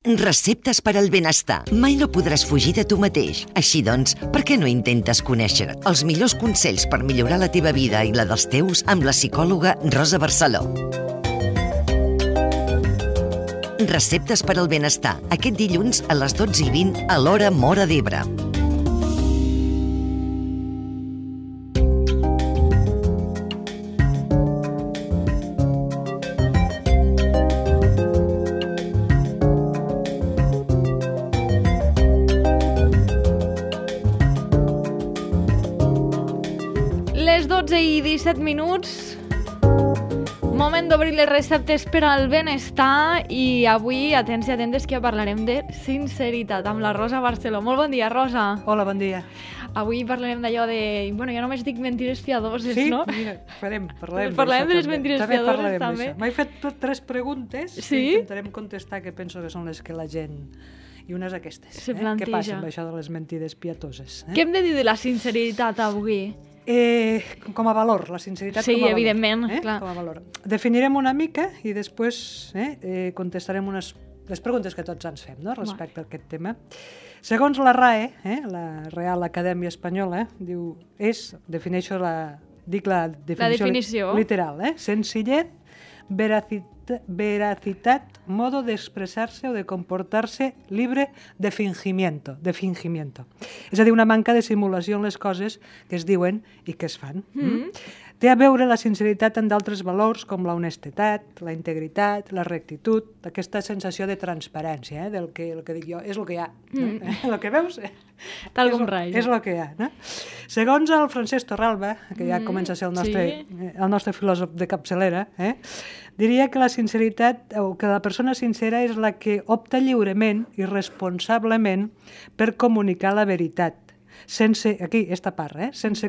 Receptes per al benestar. Mai no podràs fugir de tu mateix. Així doncs, per què no intentes conèixer els millors consells per millorar la teva vida i la dels teus amb la psicòloga Rosa Barceló? Receptes per al benestar. Aquest dilluns a les 12:20 a l'hora Móra d'Ebre. Les 12:17, moment d'obrir les receptes per al benestar i avui, atents i atentes, que parlarem de sinceritat amb la Rosa Barceló. Molt bon dia, Rosa. Hola, bon dia. Avui parlarem d'allò de... Bueno, jo només dic mentides piadoses, sí? no? Mira, parlem de les mentides piadoses, també. M'he fet 3 preguntes sí? que intentarem contestar, que penso que són les que la gent... I unes aquestes. Se planteja. Què passa amb això de les mentides piadoses? Què hem de dir de la sinceritat avui? Com a valor, la sinceritat sí, com a valor. Evidentment, clar. Com a valor. Definirem una mica i després contestarem les preguntes que tots ens fem, no?, respecte a aquest tema. Segons la RAE, la Real Acadèmia Espanyola, defineixo la definició literal, senzillez, veracitat, modo de expresarse o de comportarse libre de fingimiento. És a dir, una manca de simulació en les coses que es diuen i que es fan. Té a veure la sinceritat amb d'altres valors com la honestedat, la integritat, la rectitud, aquesta sensació de transparència, del que dic jo, és el que hi ha. El que veus tal com rai. És el que hi ha. Segons el Francesc Torralba, que ja comença a ser el nostre filòsof de capçalera, diria que la sinceritat, o que la persona sincera és la que opta lliurement i responsablement per comunicar la veritat. Sense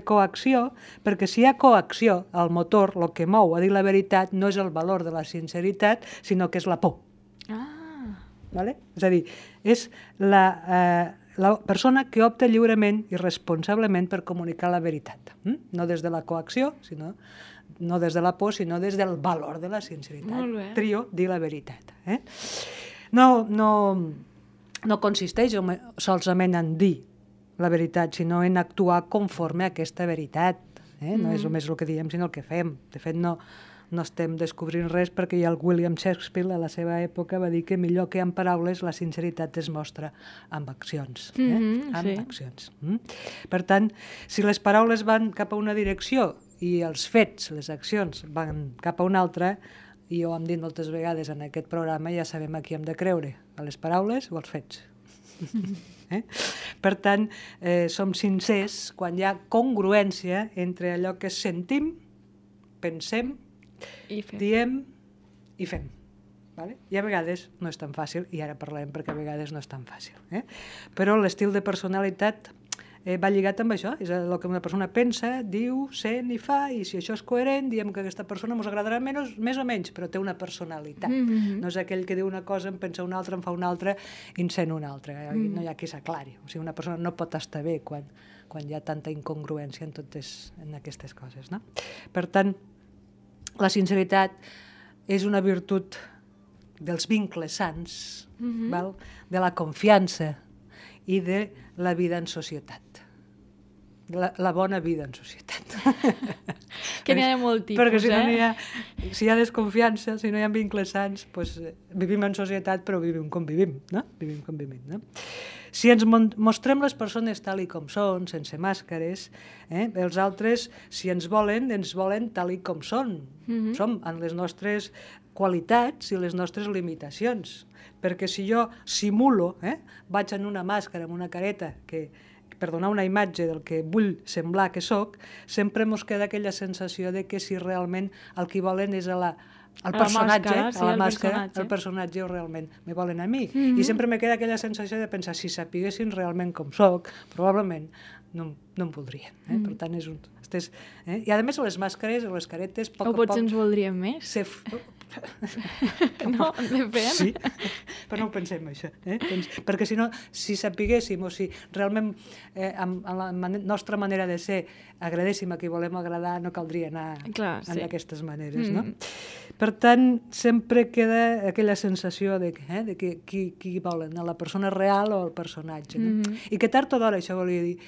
coacció, perquè si hi ha coacció, el motor, el que mou a dir la veritat, no és el valor de la sinceritat, sinó que és la por. Vale? És a dir, és la persona que opta lliurement i responsablement per comunicar la veritat. No des de la coacció, no des de la por, sinó des del valor de la sinceritat. Trio, dir la veritat. No consisteix solament en dir la veritat, sinó en actuar conforme a aquesta veritat. No és només el que diem, sinó el que fem. De fet, no estem descobrint res, perquè ja el William Shakespeare a la seva època va dir que millor que amb paraules la sinceritat es mostra amb accions. Accions. Per tant, si les paraules van cap a una direcció i els fets, les accions, van cap a una altra, i jo hem dit moltes vegades en aquest programa, ja sabem a qui hem de creure, a les paraules o als fets. Per tant, som sincers quan hi ha congruència entre allò que sentim, pensem, diem i fem. I a vegades no és tan fàcil, i ara parlem perquè a vegades no és tan fàcil. Però l'estil de personalitat va lligat amb això, és el que una persona pensa, diu, sent i fa, i si això és coherent, diem que aquesta persona ens agradarà més o menys, però té una personalitat. No és aquell que diu una cosa, en pensa una altra, en fa una altra, i en sent una altra. No hi ha qui s'aclari. O sigui, una persona no pot estar bé quan hi ha tanta incongruència en aquestes coses. Per tant, la sinceritat és una virtut dels vincles sants, de la confiança i de la vida en societat. La bona vida en societat. Que n'hi ha de molt tipus, perquè si hi ha desconfiança, si no hi ha vincles sants, vivim en societat, però vivim com vivim, no? Si ens mostrem les persones tal i com són, sense màscares, els altres, si ens volen tal i com són. Som en les nostres qualitats i les nostres limitacions. Perquè si jo simulo, vaig en una màscara, amb una careta, per donar una imatge del que vull semblar que soc, sempre ens queda aquella sensació de que si realment el que volen és el personatge o realment me volen a mi. I sempre me queda aquella sensació de pensar, si sapiguessin realment com soc, probablement no em voldrien. Per tant, és un... I a més les màscares o les caretes... O potser ens voldrien més. No, depèn. Sí, però no ho pensem, això. Perquè si no, si sapiguéssim o si realment amb la nostra manera de ser agradéssim a qui volem agradar, no caldria anar d'aquestes maneres, no? Per tant, sempre queda aquella sensació de qui volen, la persona real o el personatge, no? I que tard o d'hora, això volia dir,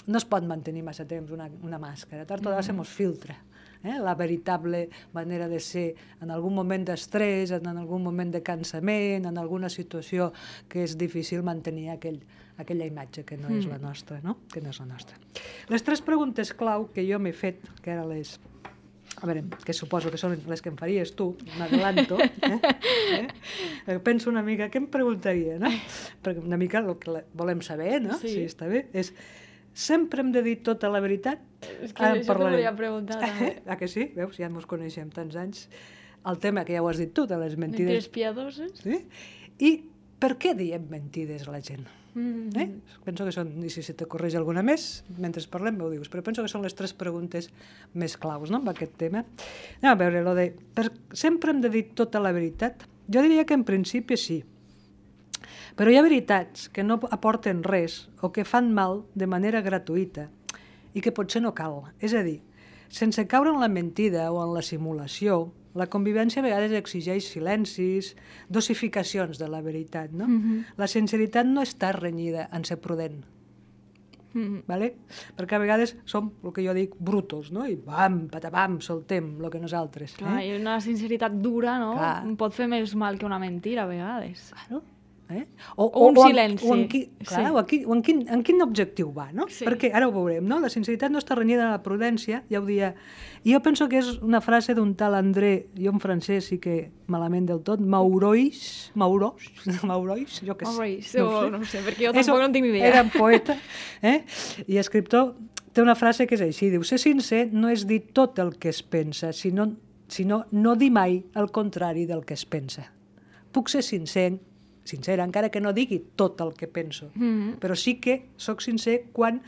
no es pot mantenir massa temps una màscara, tard o d'hora se mos filtra. La veritable manera de ser en algun moment d'estrès, en algun moment de cansament, en alguna situació que és difícil mantenir aquella imatge que no és la nostra, no? Que no és la nostra. Les 3 preguntes clau que jo m'he fet, que ara les... A veure, que suposo que són les que em faries tu, m'adelanto, penso una mica, què em preguntaria, no? Perquè una mica el que volem saber, no? Si està bé, és... Sempre hem de dir tota la veritat? És que això t'ho volia preguntar, també. Que sí? Veus, ja ens coneixem tants anys. El tema que ja ho has dit tu, de les mentides... Mentides piadoses. Sí? I per què diem mentides a la gent? Penso que són, i si te correix alguna més, mentre parlem m'ho dius, però penso que són les 3 preguntes més claus, no?, amb aquest tema. Anem a veure, sempre hem de dir tota la veritat? Jo diria que en principi sí. Però hi ha veritats que no aporten res o que fan mal de manera gratuïta i que potser no cal. És a dir, sense caure en la mentida o en la simulació, la convivència a vegades exigeix silencis, dosificacions de la veritat, no? La sinceritat no està renyida en ser prudent. Vale? Perquè a vegades som, el que jo dic, brutos, no? I bam, patapam, soltem el que nosaltres. Clar, i una sinceritat dura, no? Pot fer més mal que una mentira, a vegades. Claro. O un silenci. En quin objectiu va, no? Perquè ara ho veurem, no? La sinceritat no està renyida a la prudència, ja ho dia. I jo penso que és una frase d'un tal André, jo en francès sí que malament del tot, Maurois, jo què sé. No sé, perquè jo tampoc no tinc ni idea. Era poeta i escriptor, té una frase que és així, diu, ser sincer no és dir tot el que es pensa, sinó no dir mai el contrari del que es pensa. Puc ser sincera, encara que no digui tot el que penso, però sí que sóc sincer quan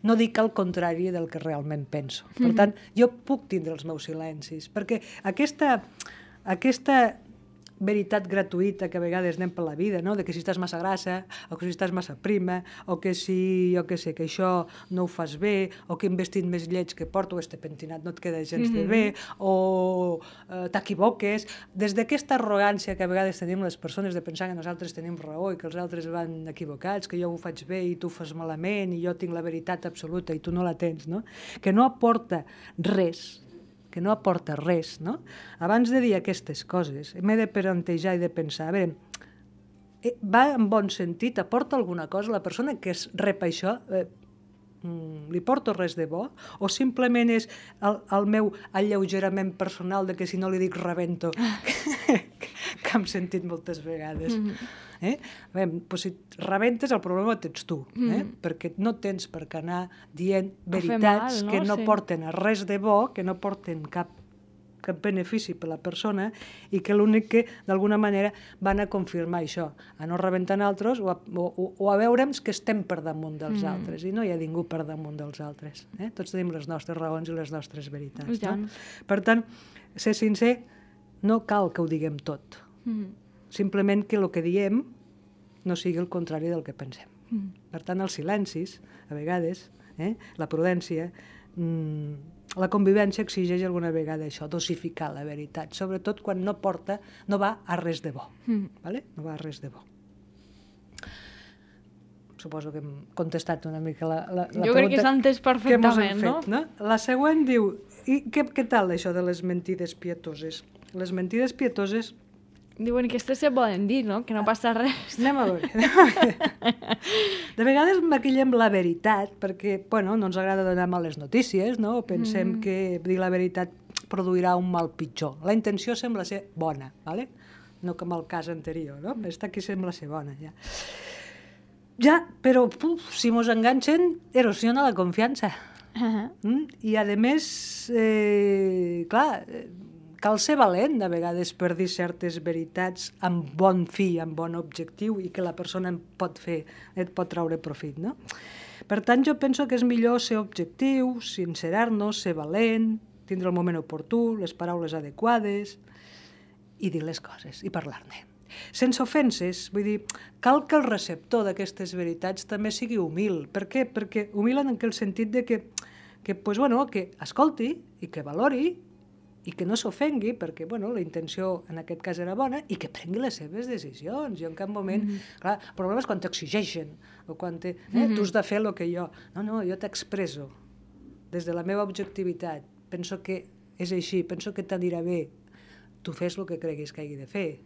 no dic el contrari del que realment penso. Per tant, jo puc tindre els meus silencis, perquè aquesta veritat gratuïta que a vegades anem per la vida, no? De que si estàs massa grassa, o que si estàs massa prima, o que si, jo què sé, que això no ho fas bé, o que un vestit més lleig que porto, este pentinat no et queda gens de bé, o t'equivoques. Des d'aquesta arrogància que a vegades tenim les persones de pensar que nosaltres tenim raó i que els altres van equivocats, que jo ho faig bé i tu ho fas malament i jo tinc la veritat absoluta i tu no la tens, no? Que no aporta res, no? Abans de dir aquestes coses, m'he de plantejar i de pensar, a veure, va en bon sentit, aporta alguna cosa? La persona que rep això, li porto res de bo? O simplement és el meu alleugerament personal de que si no li dic rebento, que hem sentit moltes vegades? Si rebentes, el problema tens tu, perquè no tens per què anar dient veritats que no porten a res de bo, que no porten cap benefici per la persona i que l'únic que d'alguna manera van a confirmar això, a no rebentar altres o a veure'ns que estem per damunt dels altres, i no hi ha ningú per damunt dels altres. Tots tenim les nostres raons i les nostres veritats. Per tant, ser sincer no cal que ho diguem tot. Simplement que el que diem no sigui el contrari del que pensem. Per tant, els silencis, a vegades, la prudència, la convivència exigeix alguna vegada això, dosificar la veritat, sobretot quan no va a res de bo. No va a res de bo. Suposo que hem contestat una mica la pregunta. Jo crec que s'ha entès perfectament, no? La següent diu, i què tal això de les mentides pietoses? Les mentides pietoses... Diuen que aquestes se poden dir, no? Que no passa res. Anem a veure. De vegades maquillem la veritat perquè, no ens agrada donar males notícies, no? Pensem que dir la veritat produirà un mal pitjor. La intenció sembla ser bona, ¿vale? No com el cas anterior, no? Esta aquí sembla ser bona, ja. Ja, però si mos enganxen, erosiona la confiança. I, a més, clar, cal ser valent, a vegades, per dir certes veritats amb bon fi, amb bon objectiu, i que la persona et pot traure profit, no? Per tant, jo penso que és millor ser objectiu, sincerar-nos, ser valent, tindre el moment oportú, les paraules adequades i dir les coses i parlar-ne. Sense ofenses, vull dir, cal que el receptor d'aquestes veritats també sigui humil. Per què? Perquè humil en aquell sentit de que escolti i que valori i que no s'ofengui, perquè la intenció en aquest cas era bona, i que prengui les seves decisions. Jo en cap moment... Clar, el problema és quan t'exigeixen, o quan tu has de fer el que jo... No, jo t'expresso des de la meva objectivitat. Penso que és així, penso que t'anirà bé. Tu fes el que creguis que hagi de fer.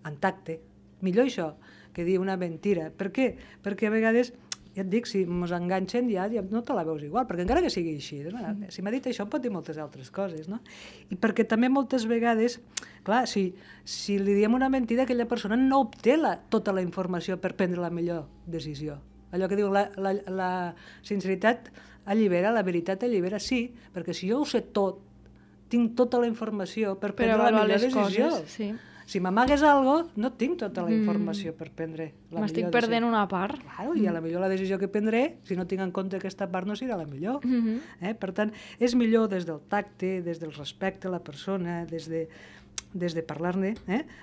En tacte. Millor això que dir una mentira. Per què? Perquè a vegades... Ja et dic, si ens enganxen ja no te la veus igual, perquè encara que sigui així, si m'ha dit això em pot dir moltes altres coses, no? I perquè també moltes vegades, clar, si li diem una mentida, aquella persona no obté tota la informació per prendre la millor decisió. Allò que diu la sinceritat allibera, la veritat allibera, sí, perquè si jo ho sé tot, tinc tota la informació per prendre la millor decisió. Si m'amagues alguna cosa, no tinc tota la informació per prendre la millor decisió. M'estic perdent una part. Claro, i a la millor la decisió que prendré, si no tinc en compte aquesta part, no serà la millor. Per tant, és millor des del tacte, des del respecte a la persona, des de parlar-ne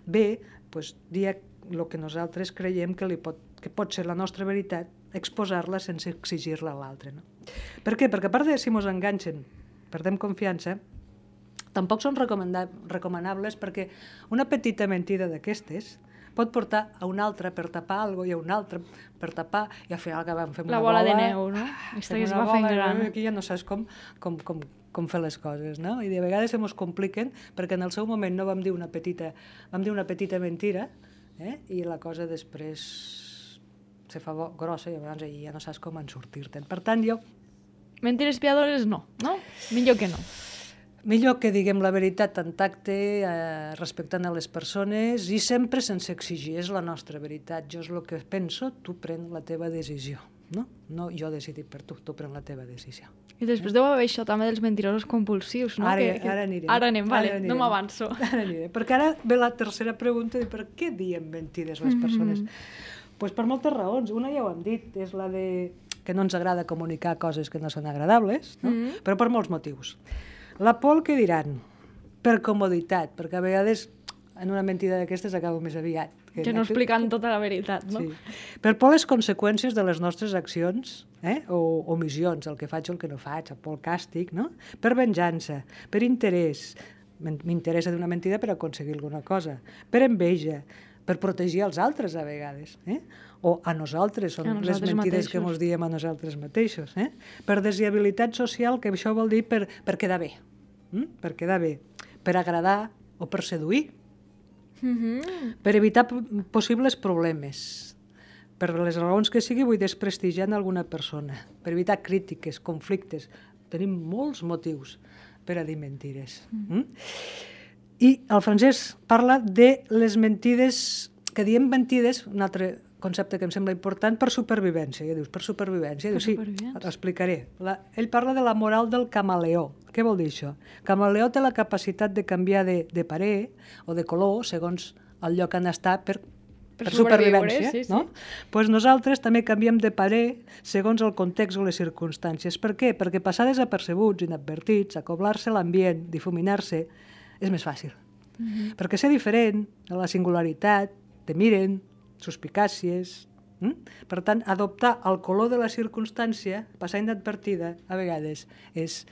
bé, dir el que nosaltres creiem que pot ser la nostra veritat, exposar-la sense exigir-la a l'altre. Per què? Perquè a part de si ens enganxen, perdem confiança, tampoc són recomanables perquè una petita mentida d'aquestes pot portar a una altra per tapar alguna cosa i a una altra per tapar i al final acabem fent una bola. La bola de neu, no? Fem una bola, aquí ja no saps com fer les coses, no? I de vegades se mos compliquen perquè en el seu moment no vam dir una petita mentira i la cosa després se fa grossa i llavors ja no saps com en sortir-te'n. Per tant, jo... Mentires piadores no? Millor que no. Millor que diguem la veritat en tacte, respectant a les persones i sempre sense exigir. És la nostra veritat. Jo és el que penso, tu pren la teva decisió. No jo he decidit per tu, tu pren la teva decisió. I després deu haver això també dels mentirosos compulsius, no? Ara anirem. Ara anem, vale, no m'avanço. Ara anirem, perquè ara ve la tercera pregunta de per què diem mentides les persones. Doncs per moltes raons. Una ja ho hem dit, és la de que no ens agrada comunicar coses que no són agradables, però per molts motius. La por que diran, per comoditat, perquè a vegades en una mentida d'aquestes acabo més aviat. Que no explicant tota la veritat, no? Sí. Per por les conseqüències de les nostres accions o omissions, el que faig o el que no faig, por el càstig, no? Per venjança, per interès, m'interessa d'una mentida per aconseguir alguna cosa, per enveja, per protegir els altres a vegades, o a nosaltres, són les mentides que ens diem a nosaltres mateixos, per desviabilitat social, que això vol dir per quedar bé, per agradar o per seduir, per evitar possibles problemes, per les raons que sigui vull desprestigiar alguna persona, per evitar crítiques, conflictes. Tenim molts motius per a dir mentides. I el Francesc parla de les mentides, que diem mentides, un altre concepte que em sembla important, per supervivència. Ja dius, per supervivència? Sí, l'explicaré. Ell parla de la moral del camaleó. Què vol dir això? El camaleó té la capacitat de canviar de parer o de color segons el lloc on està per supervivència. Doncs nosaltres també canviem de parer segons el context o les circumstàncies. Per què? Perquè passar desapercebuts, inadvertits, acoblar-se l'ambient, difuminar-se, és més fàcil. Perquè ser diferent, la singularitat, te miren, suspicàcies. Per tant, adoptar el color de la circumstància, passar inadvertida, a vegades és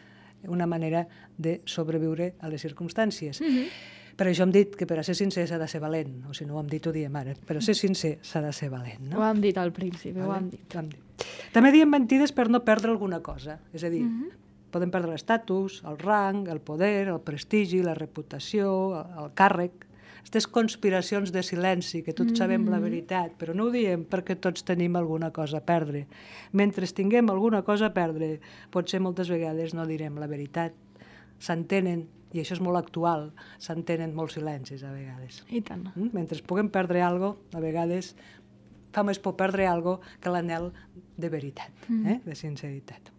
una manera de sobreviure a les circumstàncies. Per això hem dit que per a ser sincer s'ha de ser valent, o si no ho hem dit ho diem ara, per a ser sincer s'ha de ser valent. Ho hem dit al principi, ho hem dit. També diem mentides per no perdre alguna cosa, és a dir, podem perdre l'estatus, el rang, el poder, el prestigi, la reputació, el càrrec, aquestes conspiracions de silenci, que tots sabem la veritat, però no ho diem perquè tots tenim alguna cosa a perdre. Mentre tinguem alguna cosa a perdre, potser moltes vegades no direm la veritat. S'entenen, i això és molt actual, s'entenen molts silencis a vegades. I tant. Mentre puguem perdre alguna cosa, a vegades fa més por perdre alguna cosa que l'anhel de veritat, de sinceritat.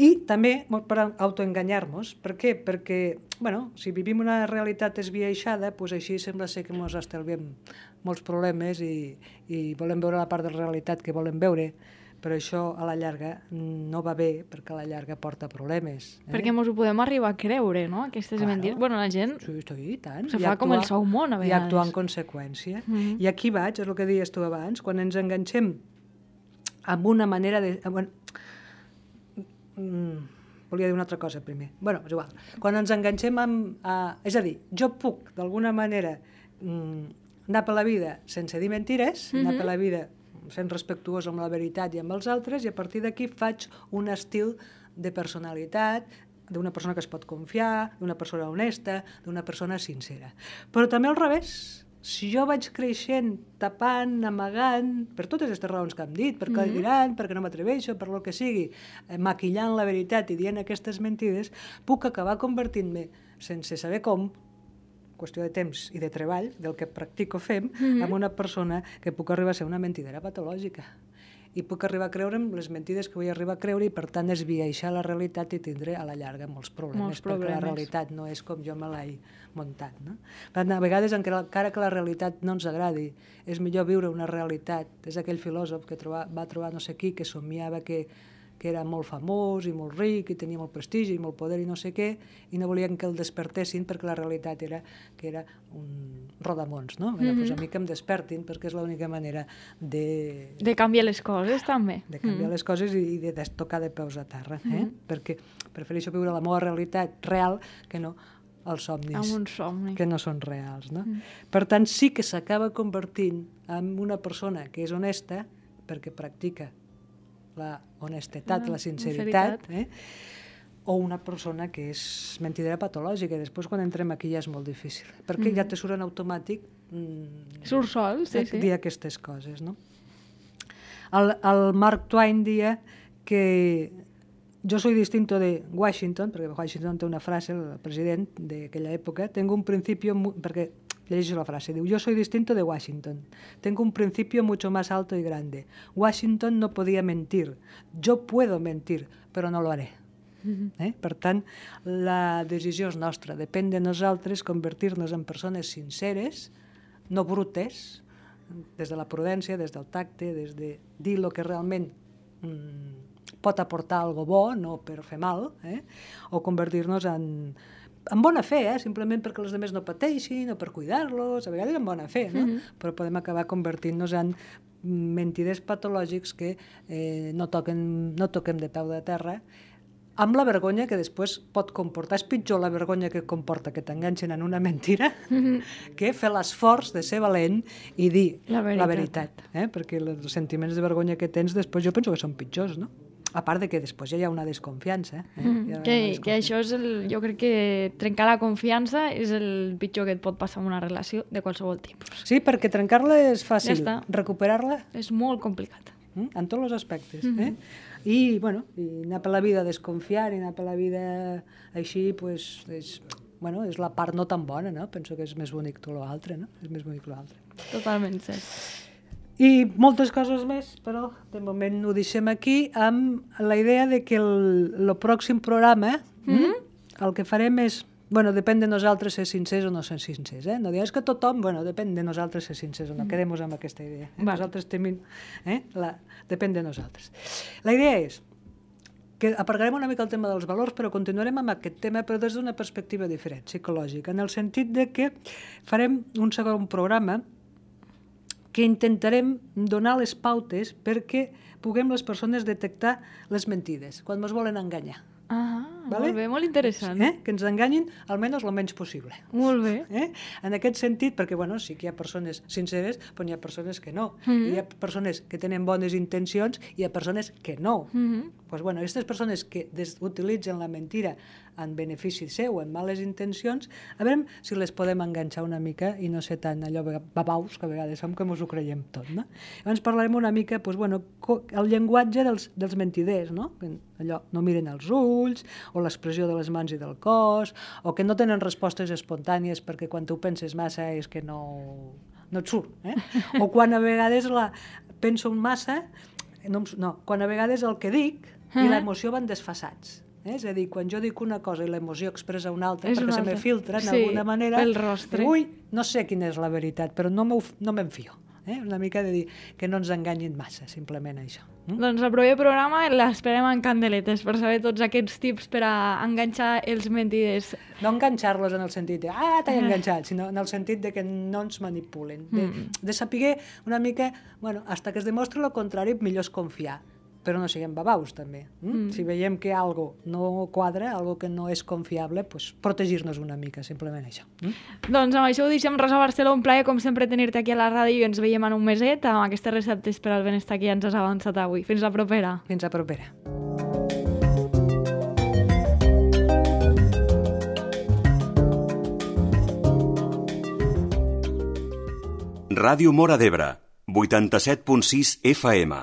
I també per autoenganyar-nos. Per què? Perquè, si vivim una realitat esbiaixada, doncs així sembla ser que ens estalviem molts problemes i volem veure la part de la realitat que volem veure. però això a la llarga no va bé, perquè a la llarga porta problemes. Perquè ens ho podem arribar a creure, no? Aquestes mentides. Bueno, la gent sí, tant. se fa com el seu món, a vegades. I actuar en conseqüència. I aquí vaig, és el que deies tu abans, quan ens enganxem amb una manera de... volia dir una altra cosa primer. Bueno, és igual. Quan ens enganxem amb... és a dir, jo puc, d'alguna manera, anar per la vida sense dir mentires, anar per la vida sent respectuós amb la veritat i amb els altres, i a partir d'aquí faig un estil de personalitat, d'una persona que es pot confiar, d'una persona honesta, d'una persona sincera. Però també al revés. Si jo vaig creixent, tapant, amagant, per totes aquestes raons que hem dit, perquè diran, perquè no m'atreveixo, per el que sigui, maquillant la veritat i dient aquestes mentides, puc acabar convertint-me, sense saber com, qüestió de temps i de treball, del que practico fem, amb una persona que puc arribar a ser una mentidera patològica. I puc arribar a creure les mentides que vull arribar a creure i, per tant, esbiaixar la realitat i tindré a la llarga molts problemes. Perquè la realitat no és com jo me l'he muntat. No? Per tant, a vegades, encara que la realitat no ens agradi, és millor viure una realitat. És aquell filòsof que va trobar no sé qui, que somiava que era molt famós i molt ric i tenia molt prestigi i molt poder i no sé què, i no volien que el despertessin perquè la realitat era que era un rodamons, no? Doncs a mi que em despertin, perquè és l'única manera de... De canviar les coses, també. De canviar les coses i de tocar de peus a terra, perquè prefereixo viure la meva realitat real que no els somnis, amb un somni, que no són reals, no? Per tant, sí que s'acaba convertint en una persona que és honesta perquè practica la honestedat, la sinceritat, o una persona que és mentidera patològica. I després, quan entrem aquí, ja és molt difícil, perquè ja te surt en automàtic surt sol, dir aquestes coses, no? El Mark Twain dia que yo soy distinto de Washington, perquè Washington té una frase, el president d'aquella època, tengo un principio, perquè llegeixo la frase, diu, yo soy distinto de Washington, tengo un principio mucho más alto y grande. Washington no podía mentir, yo puedo mentir, però no lo haré. Per tant, la decisió és nostra, depèn de nosaltres convertir-nos en persones sinceres, no brutes, des de la prudència, des del tacte, des de dir el que realment pot aportar algo bo, no per fer mal, o convertir-nos en bona fe, simplement perquè els altres no pateixin o per cuidar-los, a vegades en bona fe, no? Però podem acabar convertint-nos en mentiders patològics que no toquem de peu de terra, amb la vergonya que després pot comportar. És pitjor la vergonya que comporta que t'enganxin en una mentira que fer l'esforç de ser valent i dir la veritat. Perquè els sentiments de vergonya que tens després jo penso que són pitjors, no? A part de que després ja hi ha una desconfiança. Que això és jo crec que trencar la confiança és el pitjor que et pot passar en una relació de qualsevol tipus. Sí, perquè trencar-la és fàcil, recuperar-la és molt complicat. En tots els aspectes. I anar per la vida desconfiant i anar per la vida així, és la part no tan bona, no? Penso que és més bonic tot l'altre, no? És més bonic l'altre. Totalment cert. I moltes coses més, però de moment ho deixem aquí amb la idea de que el pròxim programa el que farem és, depèn de nosaltres ser sincers o no ser sincers. No digues que tothom, depèn de nosaltres ser sincers o no, quedem-nos amb aquesta idea. Nosaltres tenim, depèn de nosaltres. La idea és que aparcarem una mica el tema dels valors, però continuarem amb aquest tema, però des d'una perspectiva diferent, psicològica, en el sentit de que farem un segon programa que intentarem donar les pautes perquè puguem les persones detectar les mentides, quan ens volen enganyar. Molt bé, molt interessant. Que ens enganyin almenys el menys possible. Molt bé. En aquest sentit, perquè sí que hi ha persones sinceres, però hi ha persones que no. Hi ha persones que tenen bones intencions i hi ha persones que no. Aquestes persones que utilitzen la mentira en benefici seu, en males intencions, a veure si les podem enganxar una mica i no ser tan allò babaus, que a vegades som, que ens ho creiem tot. Llavors parlarem una mica el llenguatge dels mentiders, allò, no miren als ulls, o l'expressió de les mans i del cos, o que no tenen respostes espontànies perquè quan tu penses massa és que no et surt. O quan a vegades penso massa, quan a vegades el que dic i l'emoció van desfasats. És a dir, quan jo dic una cosa i l'emoció expressa una altra, perquè se me filtra d'alguna manera, pel rostre. Ui, no sé quina és la veritat, però no me'n fio. Una mica de dir que no ens enganyin massa, simplement això. Doncs el proper programa l'esperem en candeletes per saber tots aquests tips per a enganxar els mentiders. No enganxar-los en el sentit de t'he enganxat, sinó en el sentit de que no ens manipulen, de saber una mica, hasta que es demostri el contrari, millor és confiar, però no siguem babaus també. Si veiem que algo no quadra, algo que no és confiable, protegir-nos una mica, simplement això. Doncs amb això ho deixem, Rosa Barceló, un plaer com sempre tenir-te aquí a la ràdio i ens veiem en un meset amb aquestes receptes per al benestar que ja ens has avançat avui. Fins la propera. Fins la propera. Ràdio Móra d'Ebre, 87.6 FM.